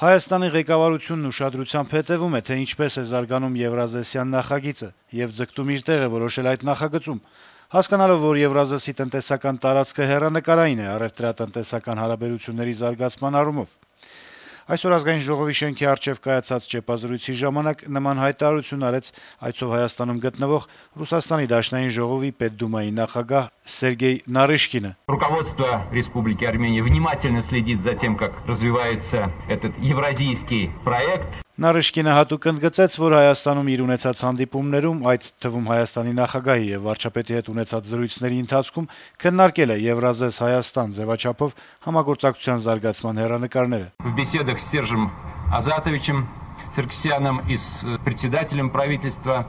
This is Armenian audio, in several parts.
Հայաստանի ղեկավարությունն ուշադրությամբ հետեւում է, թե ինչպես է զարգանում Եվրազեսյան նախագիծը եւ ձգտում իր տեղը որոշել այդ նախագծում, հասկանալով, որ Եվրազեսի տնտեսական տարածքը հեռանկարային է առեւտրատնտեսական հարաբերությունների զարգացման առումով։ Այսօր Ազգային ժողովի շենքի առջեւ կայացած ճեպազրույցի ժամանակ նման հայտարարություն արեց այցով Հայաստանում գտնվող Ռուսաստանի Դաշնային ժողովի Պետդումայի նախագահ Սերգեյ Նարիշկինը։ Руководство Республики Армения внимательно следит за тем, как развивается этот евразийский проект. Նարիշկինը հատուկ ընդգծեց, որ Հայաստանում իր ունեցած հանդիպումներում, այդ թվում Հայաստանի նախագահի եւ վարչապետի հետ ունեցած զրույցների ընթացքում քննարկել է Եվրազես Հայաստան ձևաչափով համագործակցության զարգացման հեռանկարները։ В беседах с Сержем Азатовичем Саркисяном и с председателем правительства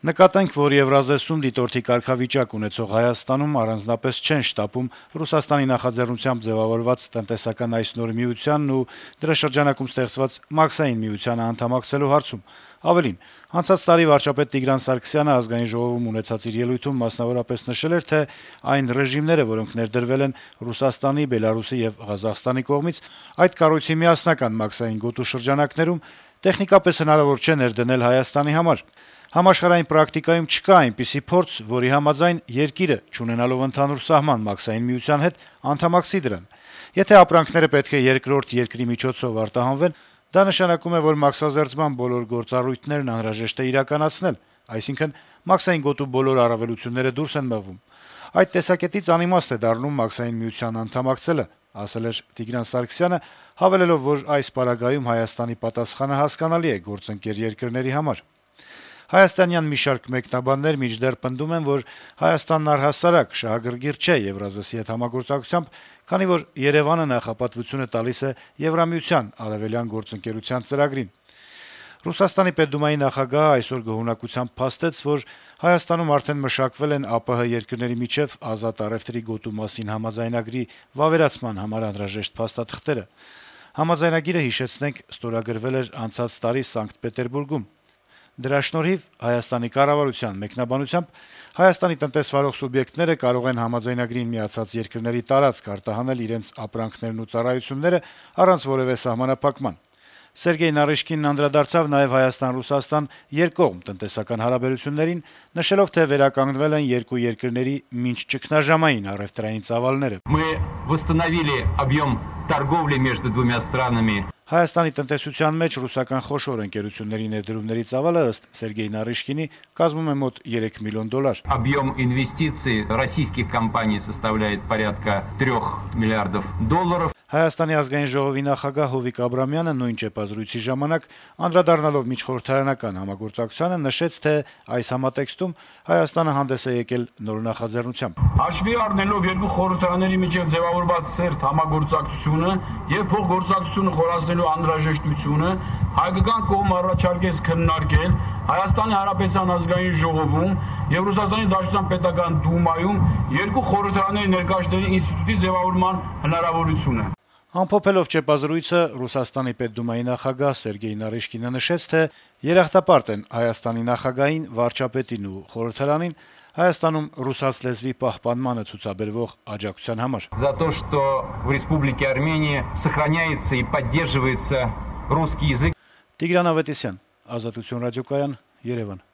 Նկատենք, որ Եվրազեսում դիտորդի կարգավիճակ ունեցող Հայաստանում առանձնապես չեն շտապում Ռուսաստանի նախաձեռնությամբ ձևավորված տնտեսական այս նոր միությանն ու դրա շրջանակում ստեղծված մաքսային միությանը անդամակցելու հարցում։ Ավելին, անցած տարի վարչապետ Տիգրան Սարգսյանը Ազգային ժողովում ունեցած իր ելույթում մասնավորապես նշել էր, թե այն ռեժիմները, որոնք ներդրվել են Ռուսաստանի, Բելարուսի եւ Ղազախստանի կողմից, այդ կառույցի միասնական մաքսային գոտու շրջանակներում տեխնիկապես հնարավոր չէ ներդնել Հայաստանի համար։ Համաշխարհային պրակտիկայում չկա այնպիսի փորձ, որի համաձայն երկիրը, չունենալով ընդհանուր սահման մաքսային միության հետ, անդամակցի դրան։ Եթե ապրանքները պետք է երկրորդ երկրի միջոցով արտահանվեն, դա նշանակում է, որ մաքսազերծման բոլոր գործառույթներն անհրաժեշտ է իրականացնել, այսինքն մաքսային գոտու բոլոր առավելությունները դուրս են մղվում։ Այդ տեսակետից անիմաստ է դառնում մաքսային միության անդամակցելը, ասել էր Տիգրան Սարգսյանը, հավելելով, որ այս պարագայում Հայաստանի պատասխանը հասկանալի է գործընկեր երկրների համար։ Հայաստանյան մի շարք մեկնաբաններ մինչդեռ պնդում են, որ Հայաստանն առհասարակ շահագրգիռ չէ Եվրազեսի հետ համագործակցությամբ, քանի որ Երևանը նախապատվությունը տալիս է Եվրամիության արևելյան գործընկերության ծրագրին։ Ռուսաստանի Պետդումայի նախագահը այսօր գոհունակությամբ փաստեց, որ Հայաստանում արդեն մշակվել են ԱՊՀ երկրների միջև ազատ առևտրի գոտու մասին համաձայնագրի վավերացման համար անհրաժեշտ փաստաթղթերը։ Համաձայնագիրը, հիշեցնենք, ստորագրվել էր անցած տարի Սանկտ Պետերբուրգում։ Դրա շնորհիվ Հայաստանի կառավարության մեկնաբանությամբ Հայաստանի տնտեսվարող սուբյեկտները կարող են համաձայնագրին միացած երկրների տարածք արտահանել իրենց ապրանքներն ու ծառայությունները առանց որևէ սահմանափակման։ Սերգեյ Նարիշկինն անդրադարձավ նաև Հայաստան-Ռուսաստան երկկողմ տնտեսական հարաբերություններին, նշելով, թե վերականգնվել են երկու երկրների մինչ ճգնաժամային առևտրային ծավալները։ Мы восстановили объем торговли между двумя странами. Հայաստանի տնտեսության մեջ ռուսական խոշոր ընկերությունների ներդրումների ծավալը ըստ Սերգեյ Նարիշկինի կազմում է մոտ $3 միլիոն։ Объем инвестиций российских компаний составляет порядка $3 миллиардов. Հայաստանի ազգային ժողովի նախագահ Հովիկ Աբրամյանը նույն ճեպազրույցի ժամանակ անդրադառնալով միջխորհրդարանական համագործակցությանը նշեց, թե այս համատեքստում Հայաստանը հանդես է եկել նոր նախաձեռնությամբ։ Հաշվի առնելով երկու խորհրդարանների միջև ձևավորված սերտ համագործակցությունը եւ փոխգործակցությունը խորացնելու անհրաժեշտությունը հայկական կողմը առաջարկեց քննարկել Հայաստանի Հանրապետության ազգային ժողովում եւ Ռուսաստանի Դաշնության պետական դումայում երկու խորհրդարանների ներկայացների ինստիտուտի ձևավորման հնարավորությունը։ Ամփոփելով ճեպազրույցը Ռուսաստանի Պետդումայի նախագահ Սերգեյ Նարիշկինը նշեց, թե երախտապարտ են Հայաստանի նախագահին, վարչապետին ու խորհրդարանին Հայաստանում ռուսաց լեզվի պահպանմանը ցուցաբերվող աջակցության համար։ За то, что в Республике Армения сохраняется и поддерживается русский язык. Տիգրան Ավետիսյան, Ազատություն ռադիոկայան, Երևան։